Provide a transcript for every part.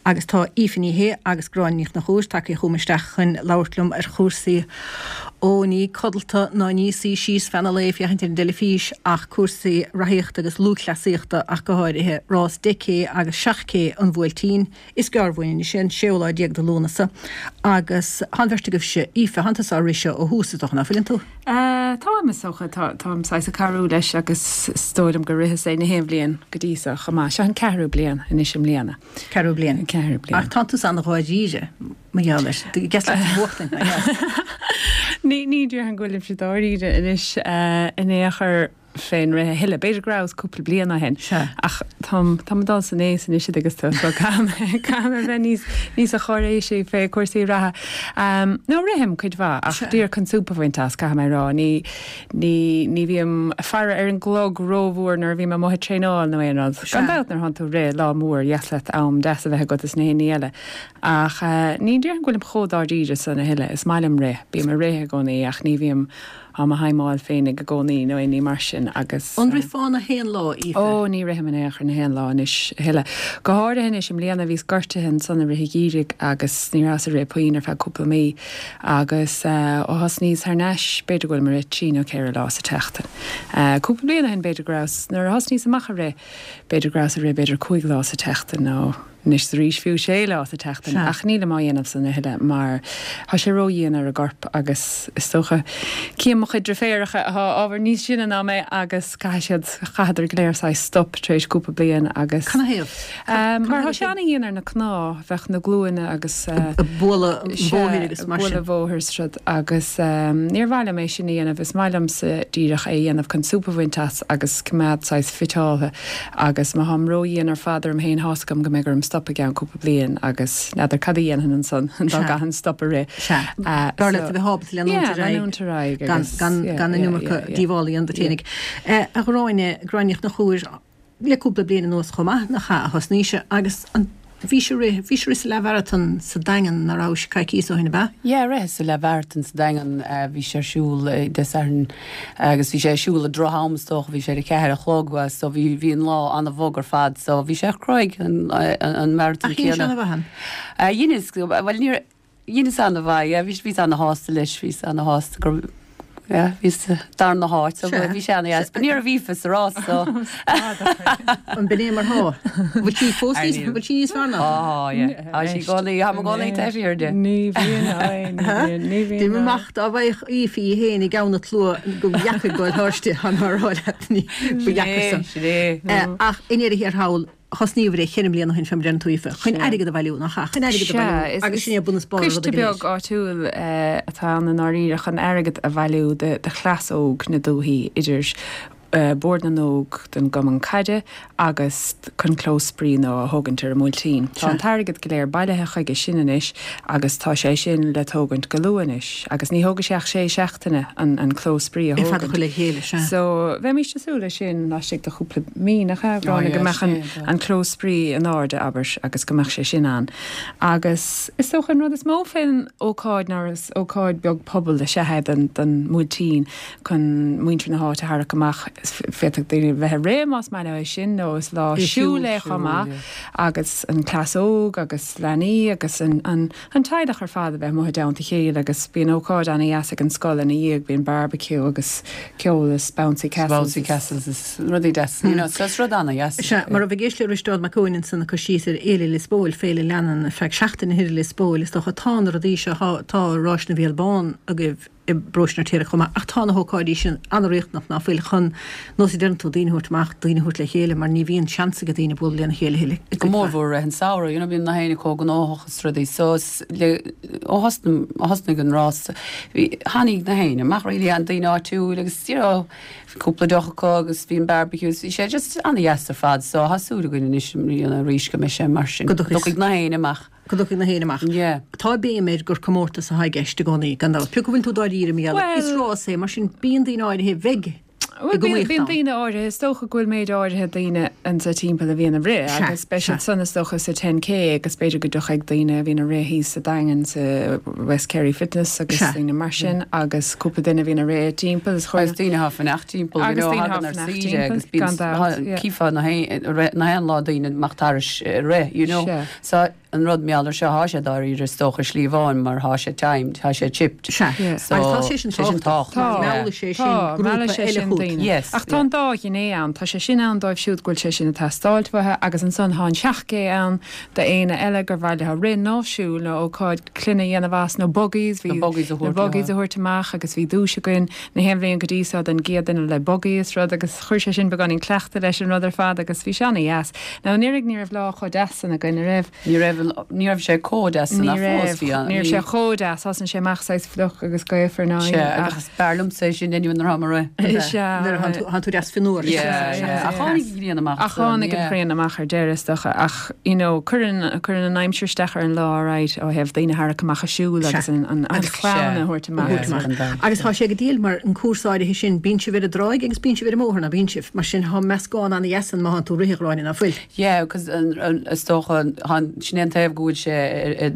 Agus tá Aoife Ní Shé agus Gráinne Ní Chonchúir tagtha chugam isteach chun labhairt liom ar chúrsaí, ó ní codlata ná ní suí síos feadh an lae ag féachaint ar an dteilifís ach cúrsaí reathaíochta agus lúthchleasaíochta ach go háirithe, rás 10K agus 7K an Bhuailtín. Is gearr uainn anois é, an séú lá déag de Lúnasa agus tá an bheirt agaibhse, Aoife, thánn tusa á rith seo ó thús is dócha, ná fuileann tú? Táim, is dócha. Táim saghas ag cabhrú leis agus is dóigh liom gur ritheas é na haon bhliain go dtí seo chomh maith. Seo an ceathrú bliain anois i mbliana. Ceathrú bliain. An ceathrú bliain. Ach tánn tusa an-dháiríre mar gheall air. Deas leat a bhuachtaint, nach ea? Ní, ní déarfainn go bhfuilimse dáiríre anois in aon chor. fén rith a thuilleadh. B'fhéidir go rabhas cúpla bliain ó shin. Sea. Ach táim, táim ag dul san aos anois agus so caithfidh mé, caithfidh mé bheith níos, níosa cháiréisí fé cúrsaí reatha. No, rithim cuid mhaith ach díreach chun súp a bhaint as, caithfidh mé a rá. Ní, ní, ní bhím ag faire ar an gclog rómhór nuair a bhím amuigh ag traenáil nó aon rud. Gan dabht nuair a thánn tú ag rith lá mór, dheas leat am deas a bheith agat is na haon ní eile. Ach ní déarfainn go bhfuilim chomh dáiríre san a thuilleadh. Is maith liom rith, bím ag rith i gcónaí ach ní bhím, á mo thaidhmeáil féinig i gcónaí nó aon ní mar sin agus. An rithfeá na haon lá, Aoife? Ó, ní rithim in aon chor na haon lá anois a thuilleadh. Go háirithe anois i mbliana, bhíos gortaithe ansan i rith an gheimhridh agus ní rabhas ag rith puinn ar feadh cúpla mí agus ó thosnaíos thar n-ais, b'fhéidir go bhfuilim ag rith trí nó ceithre lá sa tseachtain. Cúpla bliain ó shin b'fhéidir go rabhas, nuair a thosnaíos amach ag rith, b'fhéidir go rabhas ag rith b'fhéidir cúig lá sa tseachtain nó. Anois is arís fiú sé lá sa tseachtain ach nílim á dhéanamh san a thuilleadh mar tá sé ró-dhian ar an gcorp agus is dócha cím mo chuid driféaracha atá ábhar níos sine ná mé agus caithfidh siad, chaitheadar go léir saghas stop tar éis cúpla bliain agus. Canathaobh? Mar tá sé ana-dhian ar na cnámha, bheadh na glúine agus. Bualadh an bhóthair agus mar sin. Bualadh an bhóthair is rud agus níor mhaith liom é sin a dhéanamh, is maith liomsa díreach é a dhéanamh chun súp a bhaint as agus coimeád saghas fiteáltha. Agus má tháim ró-dhian ar fad orm féin, thá's agam go mbeidh orm stop i gceann cúpla bliain agus n'fheadar cad a dhéanfainn ansan dá gcaithfinn stop a rith. Sea. B'fhearr leat a bheith ábalta leanúint ar aghaidh. Leanúint ar aghaidh agus. Gan an iomarca díobhála a dhéanamh duit féinig. A Ghráinne, Gráinne Ní Chonchúir, le cúpla bliain anuas chomh maith, nach ea, a thosnaís agus an. Bhís ag rith, bhís ag rith sa leathmharatón sa Daingean, nach rabhais, coicíos ó shin, ab ea? Yeah, ritheas sa leathmharatón sa Daingean, bhí sé ar siúl Dé Sathairn agus bhí sé ar siúl ag droch-am is dócha, bhí sé ar a ceathair a chlog so bhí, bhí an lá an-bhog ar fad so bhí sé cruaidh an, an maratón Ach dhein sé ana-mhaith an? Dheineas, bhuel níor, Dheineas ana-mhaith, yeah, bhí, bhíos ana-shásta leis, bhíos ana-shásta gur, yeah, bhíos sa darna háit, so bhí sé ana-dheas, but ní raibh Aoife sa rás, so. An b'in é mar thá? Bhfuil sí fós níos, bhfuil sí níos fearr ná tú? Tá, yeah, tá sí i gcónaí, tá mé i gcónaí taobh thiar di. Ní bhíonn, aye, ní bhíonn, ní bhíonn. Déanaim amach dá bhfaigheadh Aoife í féin i gceann an tslua go dheacair goil thairsti, tá mé á rá leat, ní, ba dheacair san. Sin é, sin é. Ach i ndeireadh thiar thall, Thosnaíobhair é cheithre mbliana ó shin, fé mar a deireann tú, Aoife, chun airgead a bhailiú, nach ea? Chun airgead a bhailiú agus sin é bun is barr an ruda go léir. Coiste beag áitiúil atá ann i ndáiríre chun airgead a bhailiú do chleas óg na dúthaí, idir Bord na nÓg don gCumann Caide agus chun clós spraoi nua a thógaint ar an mBuailtín. Tá an t-airgead go léir bailithe chuige sin anois agus tá sé sin le tógaint go luath anois agus ní thógfaidh sé ach sé seachtaine an clós spraoi a É fad a chur le chéile, sea. So, bheimíst ag súil leis sin laistigh de chúpla mí, nach ea, a Ghráinne, go mbeadh an clós spraoi in airde, abair, agus go mbeadh sé sin ann. Agus is dócha an rud is mó fén ócáid ná is ócáid beag pobail is ea é don mBuailtín chun muintir na háite a tharrac amach. Féadfaidh daoine bheith ag rith más maith leo é sin nó is lá siúil é chomh maith agus an cleas óg agus leanaí agus an An teaghlach ar fad a bheith amuigh i dteannta a chéile agus bíonn ócáid ana-dheas ag an scoil ina dhiaidh, bíonn barbecue agus ceol is bouncy castles Bouncy castles is rudaí deasa, you know, so is rud ana-dheas. Sea, mar a bheith ag éisteacht le Risteárd Mac Eoin ansan ag cur síos ar Fhéile Lios Póil, féile a leanann ar feadh seachtaine thoir i Lios Póil, is dócha, tá na rudaí seo, tá Ráis na bhFial Bán agaibh i bparóiste an Fheirtéaraigh chomh maith, ach tá na hócáidí sin an-riachtanach, ná fuil, chun, nós a deireann tú, daoine a thabhairt amach, daoine a thabhairt le chéile, mar ní bhíonn seans ag daoine bualadh lena chéile a thuilleadh. Go mórmhór i rith an samhradh, you know, bíonn na héinne chomh gnóthach is rudaí, so is le, ó thosnaigh, ó thosnaigh an rás, bhí, tháinig na héinne amach really, an daoine áitiúil agus, you know, bhí cúpla deoch acu agus bhí an barbecue, bhí sé just an-dheas ar fad, so tá súil againn anois i mbliana arís go mbeidh sé mar sin, Go dtiocfaidh na héinne amach. Go dtiocfaidh na héinne amach. Yeah. Tá béim air gur comórtas atá i gceist i gcónaí, gan dabht. Pé acu a bhfuil tú dáiríre, mar gheall, is rás é, mar sin bíonn daoine áirithe a bheidh. Bhuel, bíonn, bíonn daoine áirithe, is dócha go bhfuil méid áirithe daoine anso timpeall a bhíonn ag rith agus beidh siad san is dócha sa 10K agus b'fhéidir go dtiocfaidh daoine a bhíonn ag rith thíos sa Daingean sa West Kerry Fitness agus daoine mar sin agus cúpla duine a bhíonn ag rith timpeall is Agus daoine atá ag fanacht timpeall, you know, thagann ar saoire agus bíonn, cífeá na haon lá daoine amach thairis ag rith, you know. So an rud mar gheall ar seo, thá sé dáiríre is dócha slí amháin mar thá sé timed, thá sé chipped. Sea. So, Agus tá sé sin sé sin tábhachtach. Tá. Meallfaidh sé sin Tá, grúpa meallfaidh sé eile sin chugat. daoine. Yes, Ach tá yeah. an dá ghné ann, tá sé sin ann dóibh siúd go bhfuil sé sin ag teastáilt uathu agus ansan tá an 7K ann d'éinne eile gur mhaith leo rith nó siúl nó ócáid clainne a dhéanamh as nó buggies, bhí Na buggies a na thabhairt buggies a leo. thabhairt amach agus bhí duais againn na haon bhliain go dtí so don gcéad duine le buggy is rud agus chuir sé sin beagáinín cleachtaidh leis an rud ar fad agus bhí sé ana-dheas. Now anuraidh ní raibh lá chomh deas san againn, an raibh? Ní raibh, ní raibh sé chomh deas san Ní ach fós raibh, bhí an, ní raibh bhí. sé chomh deas, thosnaigh sé amach saghas fliuch agus gaofar ná Sea, ach. agus b'fhearr liomsa é sin anyway nuair atá mé ag rith. Sea. Nuair a thánn tú deas fionnuar. Yeah, yeah. Ach tháinig an ghrian amach Ach san, tháinig an yeah. ghrian amach ar deireadh is dócha ach, you know, cuireann, cuireann an aimsir isteach ar an lá, alright, ó thaobh daoine a tharrac amach ag siúl Sea. agus an, an, an Agus chlann Sea. a thabhairt amach. thabhairt Yeah, amach. gan dabht. Agus tá sé go diail mar an cúrsa áirithe sin, bíonn sibh ar an dtráigh agus bíonn sibh ar an mbóthar, ná bíonn sibh? Mar sin, tá meascán ana-dheas ann má thánn tú ag rith, a Ghráinne, ná fuil? Yeah, because is dócha, sin é an taobh go bhfuil sé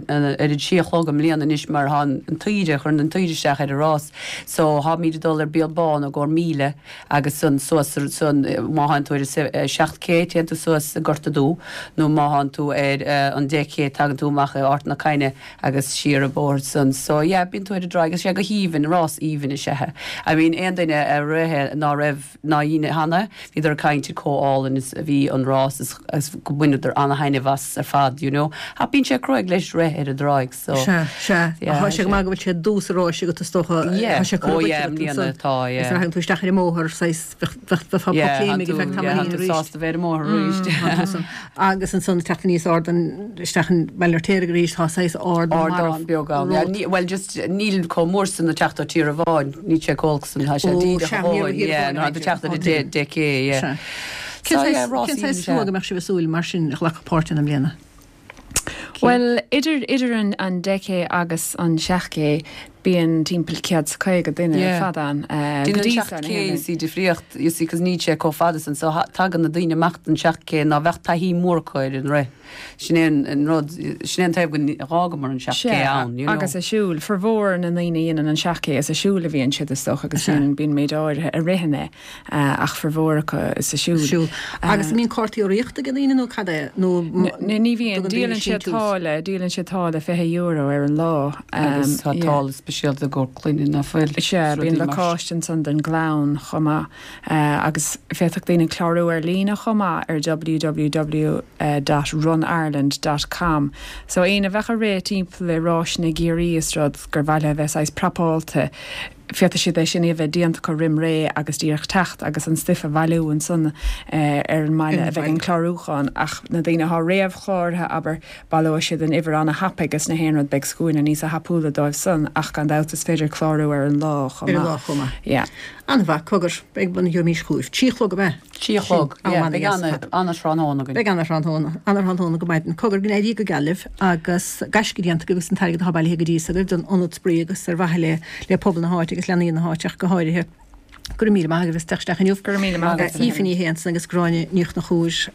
ar an trí a chlog i mbliana anois mar thá an tsaoire, chuireann an tsaoire isteach ar an rás. So tháimid ag dul ar Béal Bán i gcomhair 1,000 agus san suas san má thánn tú ar an 7K téann tú suas i Gort a' Dú nó má thánn tú ar an 10K tagann tú amach i Ard na Caithne agus siar an bóthar san. So yeah, bíonn tú ar an dtráigh agus sé go haoibhinn, rás aoibhinn is ea é. I mean aon duine a rith ná raibh, ná dhein cheana, bhíodar ag caint ar chomh álainn is a bhí an rás is agus go mbaineadar ana-thaitneamh as ar fad, you know. Ach bíonn sé cruaidh leis rith ar an dtráigh so. Sea, sea. Yeah, Tá sé go maith go bhfuil sé i dtús an ráis agat is dócha. Yeah, Tá sé oh curtha yeah, i agat mbliana ansan. tá, Is yeah. nuair a thagann tú isteach ar an mbóthar, saghas, bheadh, bheadh, bheifeá Yeah, pocléim tánn ag tú, feadh yeah, tamaillín tánn tú arís. sásta bheith ar an mbóthar arís. Tá tú san. Agus ansan teacht aníos ardán isteach in Baile an Fheirtéaraigh arís, tá saghas ardán Ardán marbh beag ann, yeah. romhat. Ní, bhuel just níl chomh mór san ag teacht ó Tír an Bháin, níl sé chomh olc san, tá sé Ó, díreach sea, a ní raibh dhóthain, Tír an yeah, Bháin nuair atá tú ag teacht ar an Sea. 10K, yeah. Sea. Cén So, yeah, saghas, rás cén saghas aoibhinn is slua ea. go mbeadh sibh ag súil mar sin a ghlacfadh páirt ann i mbliana? Bhuel, idir, idir an, an 10K agus an 7K, bíonn timpeall 150 duine ar Yeah. fad ann, go Déanann dtí an so, na 7K, haon you see, difríocht, you see, 'cause níl sé chomh fada san, so tagann na daoine amach don 7K ná bheadh taithí mór acu ar an rith. Sin é an rud, sin é an taobh go bhfágamar an 7K Sea, ann, you know. agus ag siúl, formhór na ndaoine a dhéanann an 7K is ag siúl a bhíonn siad is dócha agus bíonn, bíonn méid áirithe a ritheann é ach formhór acu is ag siúl. Siúl. Agus an mbíonn cártaí urraíochta ag daoine nó cad é? Nó Ní bhíonn, tugann daoine díolann siad síntiús? táille, díolann siad táille €20 ar an lá. Agus tá Yeah. táille speisialta i gcomhair clainne ná fuil, Sea, is bíonn rudaí mar sin. lacáiste ansan don gclann chomh maith. Agus féadfaidh daoine clárú ar líne chomh maith ar www dot runireland dot com. So éinne a bheadh ag rith timpeall i ráiseanna i gCiarraí is rud gur mhaith leo a bheith saghas prapáilte, féadfaidh siad é sin a bheith déanta acu roim ré agus díreach teacht agus an stuif a bhailiú ansan ar an mbaile a bheidh an clárúchán. Ach na daoine atá réamhchláraithe, abair, baileoidh siad an uimhir ana-thapaidh is na haon rud beidh scuaine níosa thapúla dóibh san ach gan dabht is féidir clárú ar an lá chomh Ar an maith. lá chomh maith. Yeah. An-mhaith, cogar, beidh bun gheobhaimís chugaibh. Trí a chlog ab ea? Trí a chlog, Sin yeah. am Beidh ana-dheas ar fad. ana-thráthnóna againn. Beidh ana-thráthnóna, ana-thráthnóna go maidin. Cogar, go n-éirí go geal libh agus gaisce déanta agaibh agus an t-airgead atá bailithe go dtí so agaibh don ionad spraoi agus ar mhaithe le le pobal na háite agus leanaí na háite ach go háirithe. Go raibh míle maith agaibh as teacht isteach inniu. Go raibh míle maith agat. Aoife Ní Shé ansan agus Gráinne Ní Chonchúir,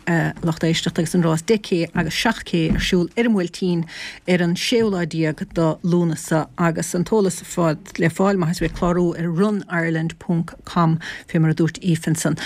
lucht éisteachta agus an rás 10K agus 7K ar siúl ar an mBuailtín ar an séú lá déag do Lúnasa agus an t-eolas ar fad le fáil má tá sibh ag clárú ar runireland ponc com fé mar a dúirt Aoife ansan.